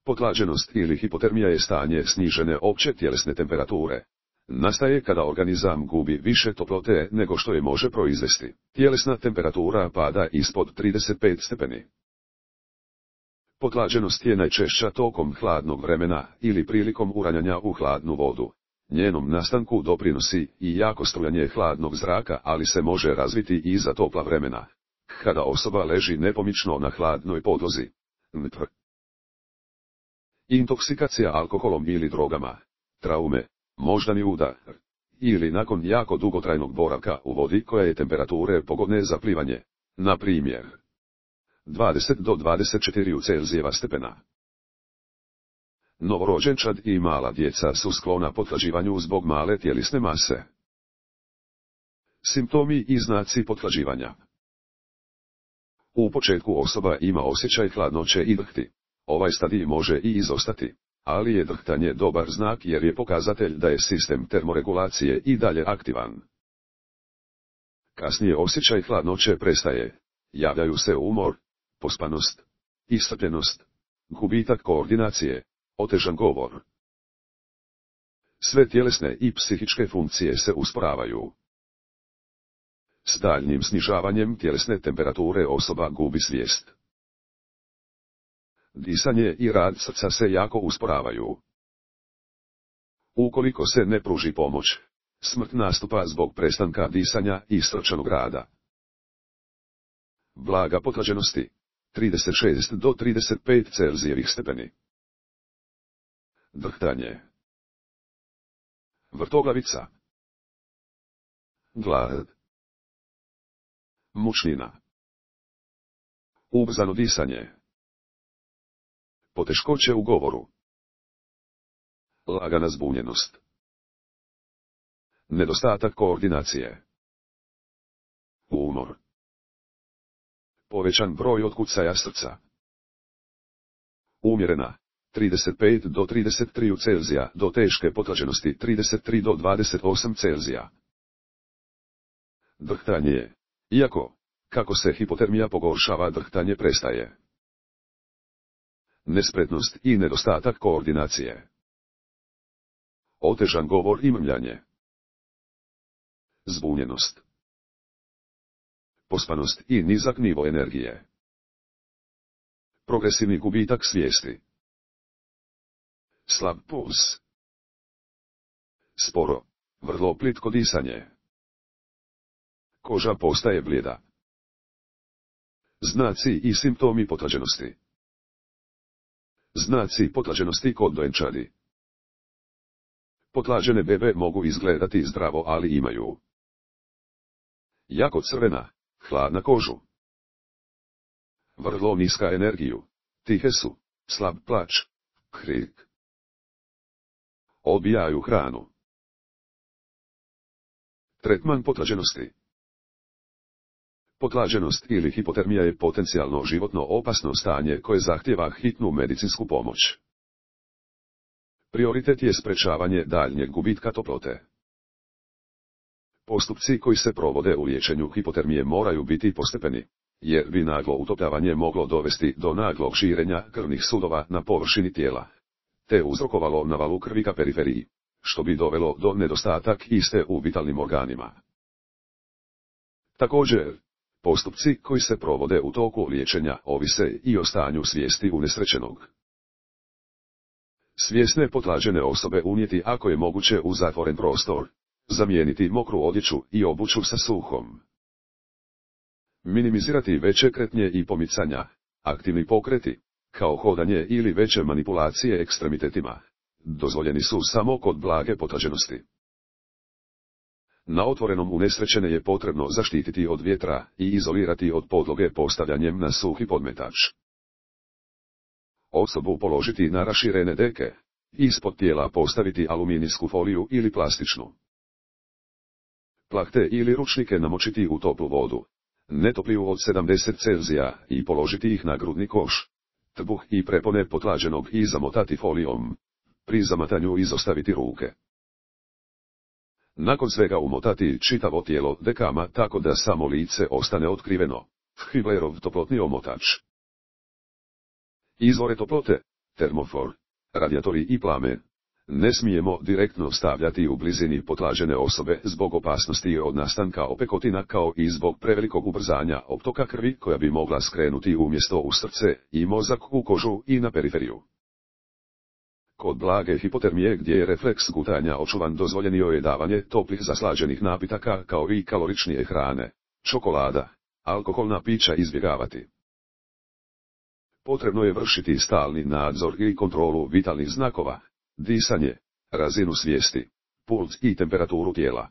Potlađenost ili hipotermija je stanje snižene opće tjelesne temperature. Nastaje kada organizam gubi više toplote nego što je može proizvesti. Tjelesna temperatura pada ispod 35 stepeni. Potlađenost je najčešća tokom hladnog vremena ili prilikom uranjanja u hladnu vodu. Njenom nastanku doprinosi i jako strujanje hladnog zraka, ali se može razviti i za topla vremena. Kada osoba leži nepomično na hladnoj podlozi. Intoksikacija alkoholom ili drogama, traume, moždani udar, ili nakon jako dugotrajnog boravka u vodi koja je temperature pogodne za plivanje, na primjer 20 do 24 Celzijeva stepena. Novorođenčad i mala djeca su sklona pothlađivanju zbog male tjelesne mase. Simptomi i znaci pothlađivanja. U početku osoba ima osjećaj hladnoće i drhti. Ovaj stadij može i izostati, ali je drhtanje dobar znak jer je pokazatelj da je sistem termoregulacije i dalje aktivan. Kasnije osjećaj hladnoće prestaje. Javljaju se umor, pospanost, iscrpljenost, gubitak koordinacije, otežan govor. Sve tjelesne i psihičke funkcije se usporavaju. S daljnjim snižavanjem tjelesne temperature osoba gubi svijest. Disanje i rad srca se jako usporavaju. Ukoliko se ne pruži pomoć, smrt nastupa zbog prestanka disanja i srčanog rada. Blaga potlađenosti, 36 do 35 Celzijevih stepeni. Drhtanje. Vrtoglavica. Glad. Mučnina. Ubrzano disanje. Poteškoće u govoru. Lagana zbunjenost. Nedostatak koordinacije. Umor. Povećan broj otkucaja srca. Umjerena, 35 do 33 Celzija, do teške potlađenosti 33 do 28 Celzija. Drhtanje. Iako, kako se hipotermija pogoršava, drhtanje prestaje. Nespretnost i nedostatak koordinacije. Otežan govor i mrmljanje. Zbunjenost. Pospanost i nizak nivo energije. Progresivni gubitak svijesti. Slab puls. Sporo, vrlo plitko disanje. Koža postaje blijeda. Znaci i simptomi potlađenosti. Znaci potlađenosti kod dojenčadi. Potlađene bebe mogu izgledati zdravo, ali imaju jako crvena, hladna kožu. Vrlo niska energiju, tihe su, slab plač, krik. Odbijaju hranu. Tretman potlađenosti. Potlađenost ili hipotermija je potencijalno životno opasno stanje koje zahtijeva hitnu medicinsku pomoć. Prioritet je sprečavanje daljnjeg gubitka toplote. Postupci koji se provode u liječenju hipotermije moraju biti postepeni, jer bi naglo utopljavanje moglo dovesti do naglog širenja krvnih sudova na površini tijela, te uzrokovalo navalu krvi ka periferiji, što bi dovelo do nedostatak iste u vitalnim organima. Također, postupci koji se provode u toku liječenja ovise i o stanju svijesti unesrećenog. Svjesne potlađene osobe unijeti ako je moguće u zatvoren prostor, zamijeniti mokru odjeću i obuću sa suhom. Minimizirati veće kretnje i pomicanja, aktivni pokreti, kao hodanje ili veće manipulacije ekstremitetima, dozvoljeni su samo kod blage potlađenosti. Na otvorenom unesrećene je potrebno zaštititi od vjetra i izolirati od podloge postavljanjem na suhi podmetač. Osobu položiti na raširene deke, ispod tijela postaviti aluminijsku foliju ili plastičnu. Plahte ili ručnike namočiti u toplu vodu, ne topliju od 70 Celzija, i položiti ih na grudni koš, trbuh i prepone potlađenog i zamotati folijom. Pri zamatanju izostaviti ruke. Nakon svega umotati čitavo tijelo dekama tako da samo lice ostane otkriveno. Hiblerov toplotni omotač. Izvore toplote, termofor, radijatori i plamen. Ne smijemo direktno stavljati u blizini potlađene osobe zbog opasnosti od nastanka opekotina kao i zbog prevelikog ubrzanja optoka krvi koja bi mogla skrenuti umjesto u srce i mozak u kožu i na periferiju. Kod blage hipotermije gdje je refleks gutanja očuvan dozvoljenio je davanje toplih zaslađenih napitaka kao i kaloričnije hrane, čokolada, alkoholna pića izbjegavati. Potrebno je vršiti stalni nadzor i kontrolu vitalnih znakova, disanje, razinu svijesti, puls i temperaturu tijela.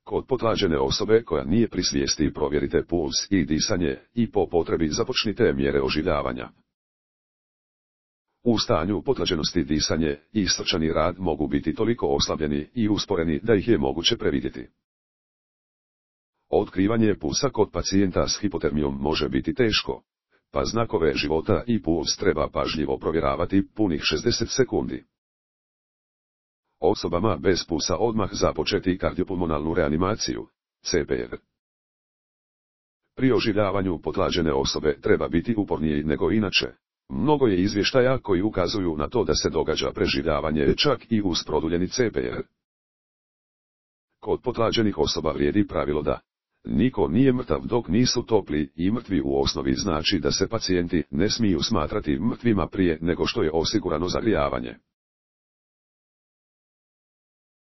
Kod potlađene osobe koja nije pri svijesti provjerite puls i disanje i po potrebi započnite mjere oživljavanja. U stanju potlađenosti disanje i srčani rad mogu biti toliko oslabljeni i usporeni da ih je moguće previdjeti. Otkrivanje pulsa kod pacijenta s hipotermijom može biti teško, pa znakove života i puls treba pažljivo provjeravati punih 60 sekundi. Osobama bez pulsa odmah započeti kardiopulmonalnu reanimaciju, CPR. Pri oživljavanju potlađene osobe treba biti uporniji nego inače. Mnogo je izvještaja koji ukazuju na to da se događa preživljavanje čak i uz produljeni CPR. Kod potlađenih osoba vrijedi pravilo da niko nije mrtav dok nisu topli i mrtvi u osnovi znači da se pacijenti ne smiju smatrati mrtvima prije nego što je osigurano zagrijavanje.